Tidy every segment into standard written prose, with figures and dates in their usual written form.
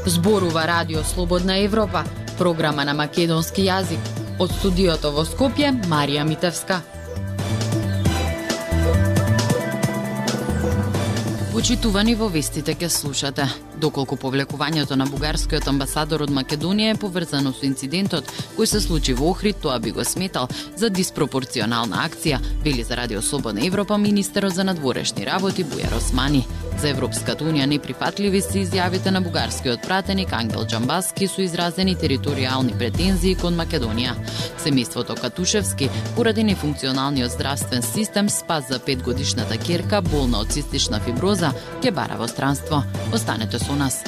Зборува Радио Слободна Европа, програма на македонски јазик. Од студиото во Скопје, Марија Митевска. Почитувани, во вестите ке слушате. Доколку повлекувањето на бугарскиот амбасадор од Македонија е поврзано со инцидентот кој се случи во Охрид, тоа би го сметал за диспропорционална акција, вели за Радио Слободна Европа министерот за надворешни работи Бујар Османи. За Европската унија неприфатливи се изјавите на бугарскиот пратеник Ангел Џамбаски со изразени територијални претензии кон Македонија. Семејството Катушевски, поради нефункционалниот здравствен систем, спас за 5-годишната ќерка болна од цистична фиброза, ќе бара во странство. Останете со нас.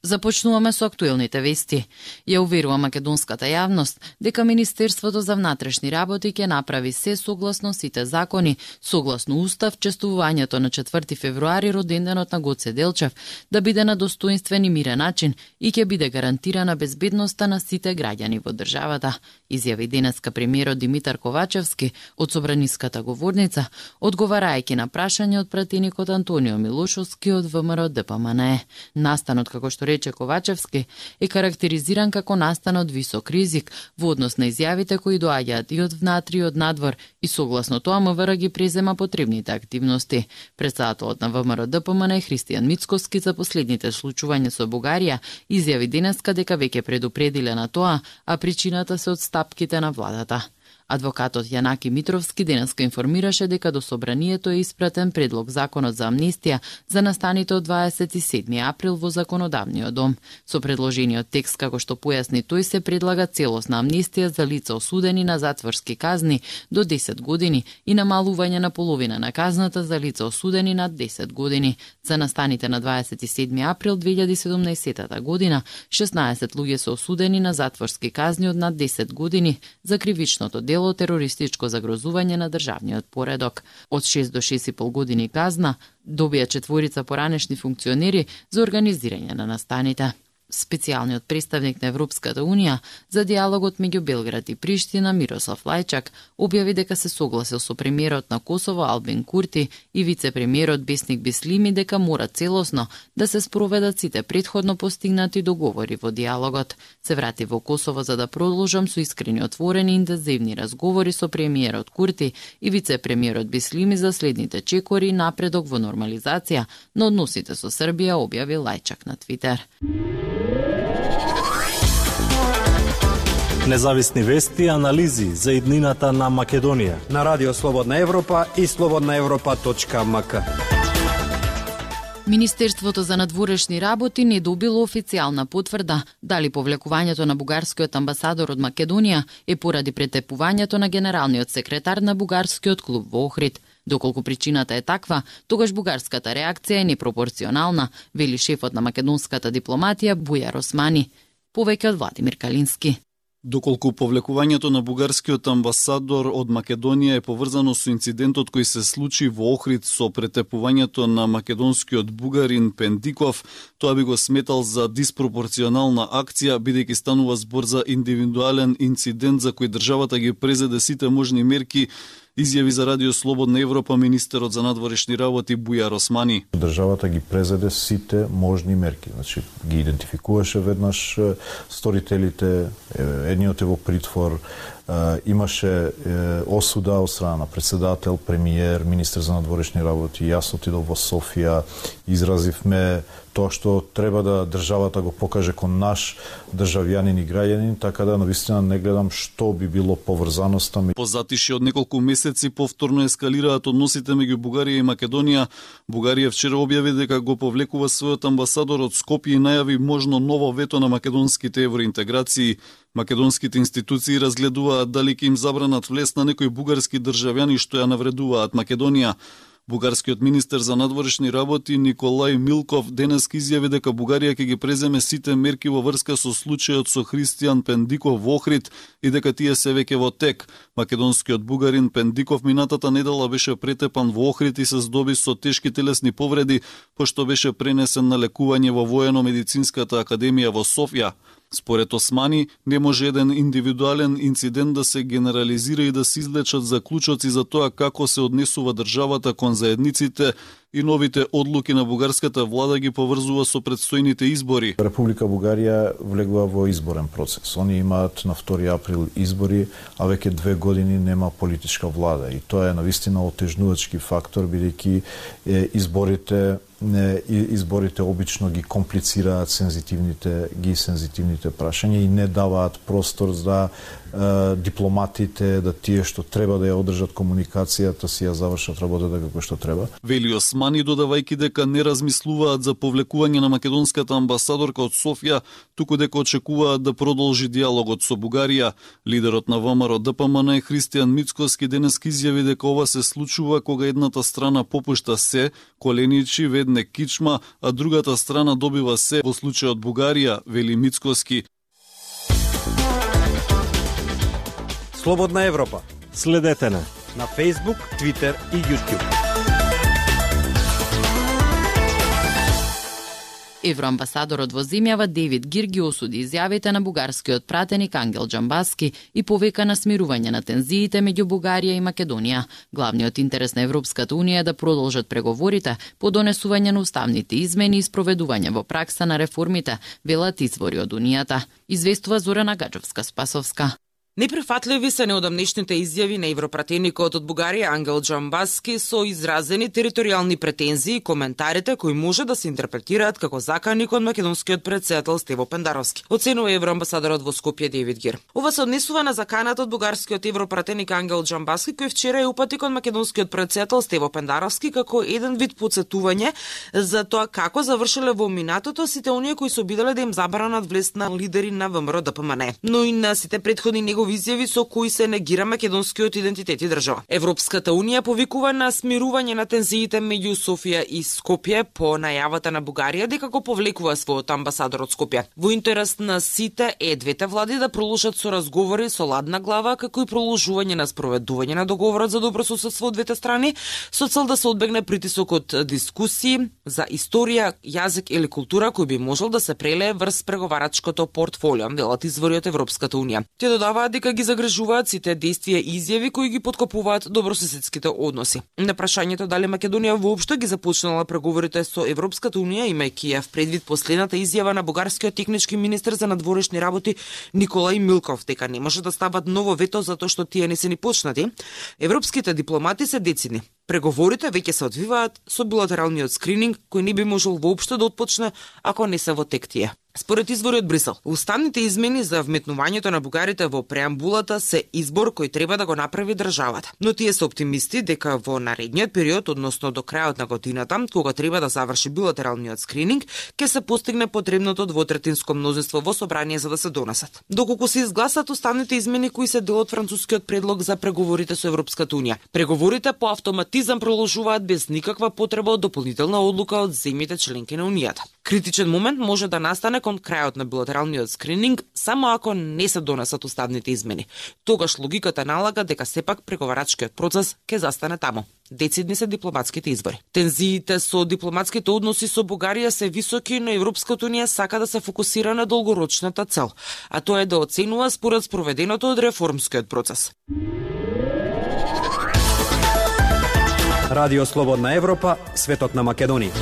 Започнуваме со актуелните вести. Ја уверува македонската јавност дека Министерството за внатрешни работи ќе направи се согласно сите закони, согласно устав, честувањето на 4 февруари, роденденот на Гоце Делчев, да биде на достоинствен и мирен начин и ќе биде гарантирана безбедноста на сите граѓани во државата, изјави денеска премиерот Димитар Ковачевски од собраниската говорница, одговарајќи на прашање од пратеникот Антонио Милошовски од ВМРО ДПМН. Настанот, како што рече Ковачевски, е карактеризиран како настан од висок ризик во однос на изјавите кои доаѓаат и од внатре и од надвор, и согласно тоа МВР ги презема потребните активности. Претседателот на ВМРО ДПМН Христијан Мицковски за последните случувања со Бугарија изјави денеска дека веќе предупредиле на тоа, а причината се од стапките на владата. Адвокатот Јанаки Митровски денеска информираше дека до собранието е испратен предлог законот за амнестија за настаните од 27 април во законодавниот дом. Со предложениот текст, како што појасни тој, се предлага целосна амнестија за лица осудени на затворски казни до 10 години и намалување на половина на казната за лица осудени над 10 години. За настаните на 27 април 2017 година 16 луѓе се осудени на затворски казни од над 10 години за кривичното дело терористичко загрозување на државниот поредок. Од 6 до 6,5 години казна добија 4 поранешни функционери за организирање на настаните. Специјалниот представник на Европската унија за диалогот меѓу Белград и Приштина Мирослав Лајчак објави дека се согласил со премиерот на Косово Албин Курти и вице-премиерот Бесник Бислими дека мора целосно да се спроведат сите претходно постигнати договори во диалогот. Се врати во Косово за да продолжам со искрени, отворени и интензивни разговори со премиерот Курти и вице-премиерот Бислими за следните чекори и напредок во нормализација на односите со Србија, објави Лајчак на Твитер. Независни вести и анализи за иднината на Македонија на Радио Слободна Европа и slobodnaevropa.mk. Министерството за надворешни работи не добило официјална потврда дали повлекувањето на бугарскиот амбасадор од Македонија е поради претепувањето на генералниот секретар на бугарскиот клуб во Охрид. Доколку причината е таква, тогаш бугарската реакција е непропорционална, вели шефот на македонската дипломатија Бујар Османи. Повеќе од Владимир Калински. Доколку повлекувањето на бугарскиот амбасадор од Македонија е поврзано со инцидентот кој се случи во Охрид со претепувањето на македонскиот бугарин Пендиков, тоа би го сметал за диспропорционална акција, бидејќи станува збор за индивидуален инцидент за кој државата ги презеде сите можни мерки, изјави за Радио Слободна Европа министерот за надворешни работи Бујар Османи. Државата ги презеде сите можни мерки. Значи, ги идентификуваше веднаш сторителите, едниот е во притвор, имаше осуда од страна на председател, премиер, министер за надворешни работи. Јас отидов во Софија, изразивме тоа што треба да државата го покаже кон наш државјанин и граѓанин, така да навистина не гледам што би било поврзаноста. По затише од неколку месеци повторно ескалираат односите меѓу Бугарија и Македонија. Бугарија вчера објави дека го повлекува својот амбасадор од Скопје и најави можно ново вето на македонските евроинтеграции. Македонските институции разгледуваат дали ќе им забранат влез на некои бугарски државјани што ја навредуваат Македонија. Бугарскиот министер за надворешни работи Николај Милков денес изјави дека Бугарија ќе ги преземе сите мерки во врска со случајот со Христијан Пендиков во Охрид и дека тие се веќе во тек. Македонскиот бугарин Пендиков минатата недела беше претепан во Охрид и се здоби со тешки телесни повреди, пошто беше пренесен на лекување во Воено-медицинската академија во Софија. Според Османи, не може еден индивидуален инцидент да се генерализира и да се извлечат заклучоци за тоа како се однесува државата кон заедниците и новите одлуки на бугарската влада ги поврзува со предстојните избори. Република Бугарија влегува во изборен процес. Они имаат на 2 април избори, а веќе 2 години нема политичка влада и тоа е навистина отежнувачки фактор, бидејќи изборите обично ги комплицираат сензитивните прашања и не даваат простор за дипломатите да тие што треба да ја одржат комуникацијата си ја завршат работата како што треба. Вели Османи, додавајќи дека не размислуваат за повлекување на македонската амбасадорка од Софија, туку дека очекуваат да продолжи диалогот со Бугарија. Лидерот на ВМРО ДПМН Христијан Мицкоски денес изјави дека ова се случува кога едната страна попушта се, коленичи, ведне кичма, а другата страна добива се, во случајот Бугарија, вели Мицкоски. Слободна Европа. Следете на Facebook, Twitter и YouTube. Евроамбасадорот во земјава Девид Гирги осуди изјавите на бугарскиот пратеник Ангел Џамбаски и повика на смирување на тензиите меѓу Бугарија и Македонија. Главниот интерес на Европската унија е да продолжат преговорите по донесување на уставните измени и спроведување во пракса на реформите, велат извори од унијата. Известува Зорана Гаджевска-Спасовска. Неприфатливи се неодамнешните изјави на европратеникот од Бугарија Ангел Џамбаски со изразени територијални претензии и коментарите кои може да се интерпретираат како закани кон македонскиот претседател Стево Пендаровски, оценува евроамбасадорот во Скопје Девид Гир. Ова се однесува на заканата од бугарскиот европратеник Ангел Џамбаски, кој вчера ја упати кон македонскиот претседател Стево Пендаровски како еден вид потсетување за тоа како завршиле во минатото сите оние кои се обиделе да им забранат влез на лидери на ВМРО ДПМН, но и на сите претходни изјави со кои се негира македонскиот идентитет и држава. Европската унија повикува на смирување на тензиите меѓу Софија и Скопје по најавата на Бугарија дека го повлекува својот амбасадор од Скопје. Во интерес на сите е двете влади да продолжат со разговори со ладна глава, како и продолжување на спроведување на договорот за добрососедство од двете страни, со цел да се одбегне притисок од дискусии за историја, јазик или култура кој би можел да се прелее врз преговарачкото портфолио, велат извори од Европската унија. Те додаваат дека ги загрижуваат сите действија и изјави кои ги поткопуваат добрососедските односи. На прашањето дали Македонија воопшто ги започнала преговорите со Европската унија, имајќи ја в предвид последната изјава на бугарскиот технички министер за надворешни работи Николај Милков дека не може да стават ново вето затоа што тие не се ни почнати, европските дипломати се децидни. Преговорите веќе се одвиваат со билатералниот скрининг кој не би можел воопшто да отпочне ако не се во тек тие. Според извори од Брисел, уставните измени за вметнувањето на бугарите во преамбулата се избор кој треба да го направи државата. Но тие се оптимисти дека во наредниот период, односно до крајот на годината, кога треба да заврши билатералниот скрининг, ќе се постигне потребното двотретинско мнозинство во собрание за да се донесат. Доколку се изгласат уставните измени кои се дел од францускиот предлог за преговорите со Европската унија, преговорите по автоматизам продолжуваат без никаква потреба од дополнителна одлука од земјите членки на унијата. Критичен момент може да настане кон крајот на билатералниот скрининг само ако не се донесат уставните измени. Тогаш логиката налага дека сепак преговарачкиот процес ќе застане таму. Децидни се дипломатските извори. Тензиите со дипломатските односи со Бугарија се високи, но Европската унија сака да се фокусира на долгорочната цел, а тоа е да оценува според спроведеното од реформскиот процес. Радио Слободна Европа, светот на Македонија.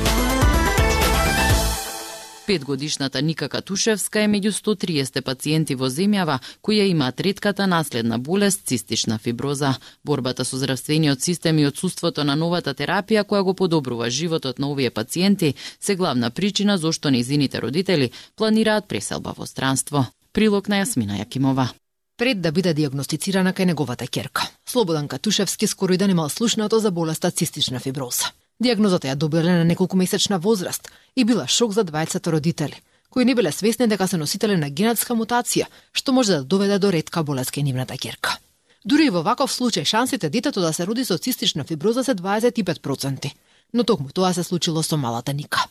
5-годишната Ника Катушевска е меѓу 130 пациенти во земјава кои ја имаат ретката наследна болест цистична фиброза. Борбата со здравствениот систем и отсуството на новата терапија која го подобрува животот на овие пациенти се главна причина зошто нејзините родители планираат преселба во странство. Прилог на Јасмина Јакимова. Пред да биде диагностицирана кај неговата ќерка, Слободан Катушевски скоро и да немал слушнато за болеста цистична фиброза. Диагнозата ја добиле на неколкумесечна возраст и била шок за двајцата родители, кои не биле свесни дека се носители на генетска мутација, што може да доведе до ретка болест кај нивната ќерка. Дури и во ваков случај шансите детето да се роди со цистична фиброза се 25%, но токму тоа се случило со малата Ника.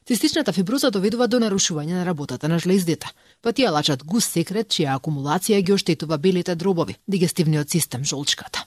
Цистичната фиброза доведува до нарушување на работата на жлездите, па тие лачат густ секрет чија акумулација ги оштетува белите дробови, дигестивниот систем, жолчката.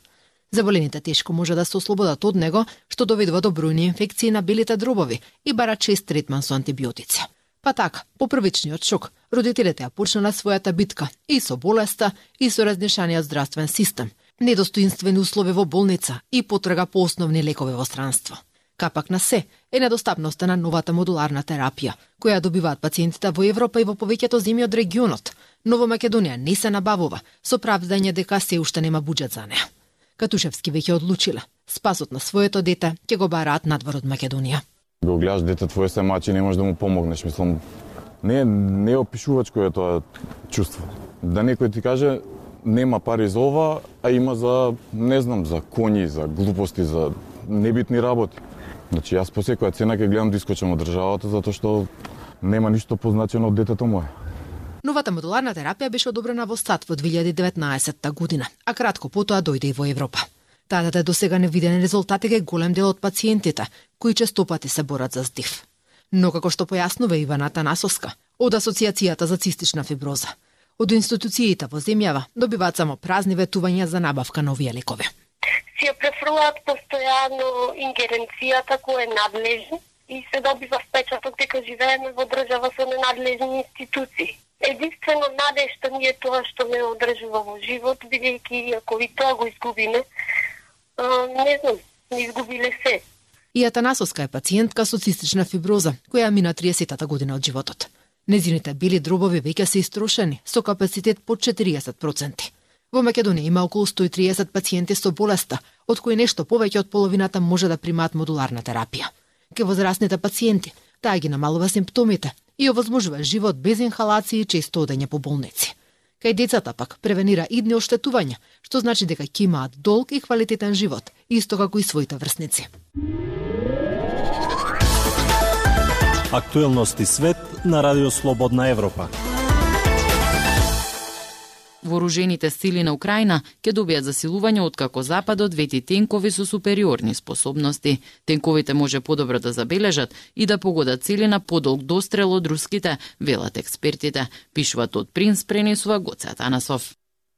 Заболените тешко може да се ослободат од него, што доведува до бројни инфекции на белите дробови и бара чест третман со антибиотици. Па така, по првичниот шок, родителите ја почнале својата битка и со болеста, и со разнешаниот здравствен систем, недостоинствени услови во болница и потрага по основни лекови во странство. Капак на се е недостапноста на новата модуларна терапија, која добиваат пациентите во Европа и во повеќето земји од регионот, но во Македонија не се набавува, со правдање дека се уште нема буџет за неа. Катушевски веќе одлучила, спасот на своето дете ќе го бараат надвор од Македонија. Го гледаш дете твое се мачи, не можеш да му помогнеш, мислам, не е опишувачко е тоа чувство. Да некој ти каже нема пари за ова, а има за, не знам, за коњи, за глупости, за небитни работи. Значи, јас по секоја цена ќе гледам да искочам од државата, затоа што нема ништо позначено од детето мое. Новата модуларна терапија беше одобрена во САД во 2019 година, а кратко потоа дојде и во Европа. Таа до сега невидени резултати ке голем дел од пациентите, кои често пати се борат за здив. Но како што појаснува Ивана Атанасовска од Асоциацијата за цистична фиброза, од институциите во земјава добиваат само празни ветувања за набавка на овие лекови. Си ја префрлаат постојано ингеренцијата која е надлежна и се добива впечаток дека живееме во држава со ненадлежни институции. Единствено надежта ми е тоа што ме одржува во живот, бидејќи ако и тоа го изгубиме, не знам, не изгубиле се. И Атанасовска е пациентка со цистична фиброза, која мина 30-та година од животот. Незините бели дробови веќе се истрошени, со капацитет под 40%. Во Македонија има околу 130 пациенти со болеста, од кои нешто повеќе од половината може да примаат модуларна терапија. Ке возрастните пациенти, таа ги намалува симптомите и овозможува живот без инхалации и често одење по болници. Кај децата пак превенира идни оштетувања, што значи дека ќе имаат долг и квалитетен живот, исто како и своите врсници. Актуелности свет на Радио Слободна Европа. Вооружените сили на Украина ќе добијат засилување откако Западот вети тенкови со супериорни способности. Тенковите може подобро да забележат и да погодат цели на подолг дострел од руските, велат експертите, пишуваат од Принц, пренесува Гоце Атанасов.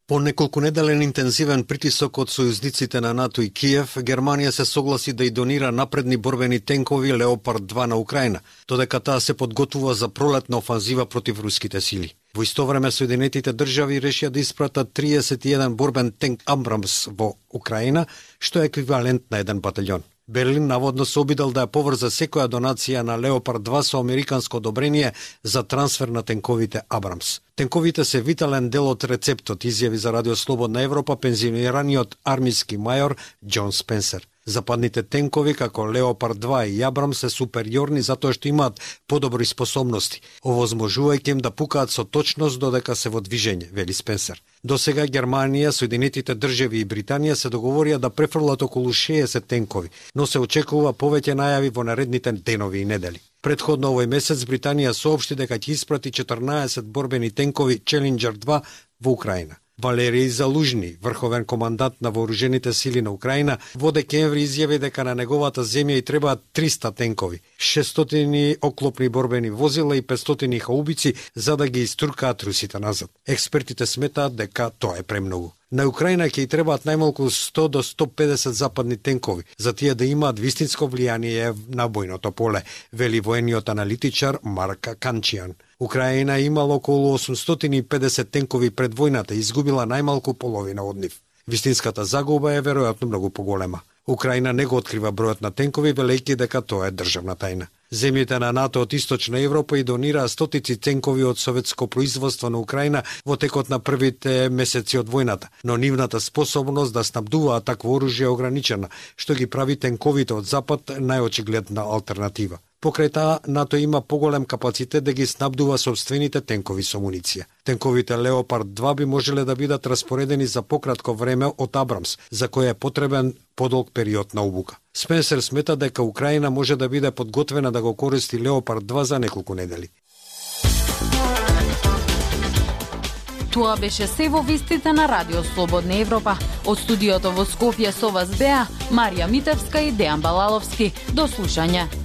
По неколкунеделен интензивен притисок од сојузниците на НАТО и Киев, Германија се согласи да и донира напредни борбени тенкови Леопард 2 на Украина, додека таа се подготвува за пролетна офанзива против руските сили. Во исто време Соединетите држави решија да испратат 31 борбен тенк Абрамс во Украина, што е еквивалент на еден батальон. Берлин наводно се обидел да ја поврза секоја донација на Леопард 2 со американско одобрение за трансфер на тенковите Абрамс. Тенковите се витален дел од рецептот, изјави за Радио Слободна Европа пензионираниот армиски мајор Џон Спенсер. Западните тенкови како Леопард 2 и Абрамс се супериорни затоа што имаат подобри способности, овозможувајќи им да пукаат со точност додека се во движење, вели Спенсер. До сега Германија, Соединетите држави и Британија се договорија да префрлат околу 60 тенкови, но се очекува повеќе најави во наредните денови и недели. Предходно овој месец Британија соопшти дека ќе испрати 14 борбени тенкови Челенџер 2 во Украина. Валерий Залужни, врховен командант на вооружените сили на Украина, во декември изјави дека на неговата земја и требаат 300 тенкови, 600 оклопни борбени возила и 500 хаубици за да ги истуркаат русите назад. Експертите сметаат дека тоа е премногу. На Украина ќе и требаат најмалку 100 до 150 западни тенкови, за тие да имаат вистинско влијание на бојното поле, вели воениот аналитичар Марк Канчијан. Украина имала околу 850 тенкови пред војната и изгубила најмалку половина од нив. Вистинската загуба е веројатно многу поголема. Украина не го открива бројот на тенкови, велејќи дека тоа е државна тајна. Земјите на НАТО од Источна Европа и донираа стотици тенкови од советско производство на Украина во текот на првите месеци од војната, но нивната способност да снабдуваат такво оружје е ограничена, што ги прави тенковите од Запад најочигледна алтернатива. Покрај таа, НАТО има поголем капацитет да ги снабдува сопствените тенкови со муниција. Тенковите Леопард 2 би можеле да бидат распоредени за пократко време од Абрамс, за кој е потребен подолг период на обука. Спенсер смета дека Украина може да биде подготвена да го користи Леопард 2 за неколку недели. Тоа беше се во вестите на Радио Слободна Европа. Од студиото во Скопје со вас беа Марија Митевска и Дејан Балаловски. До слушање.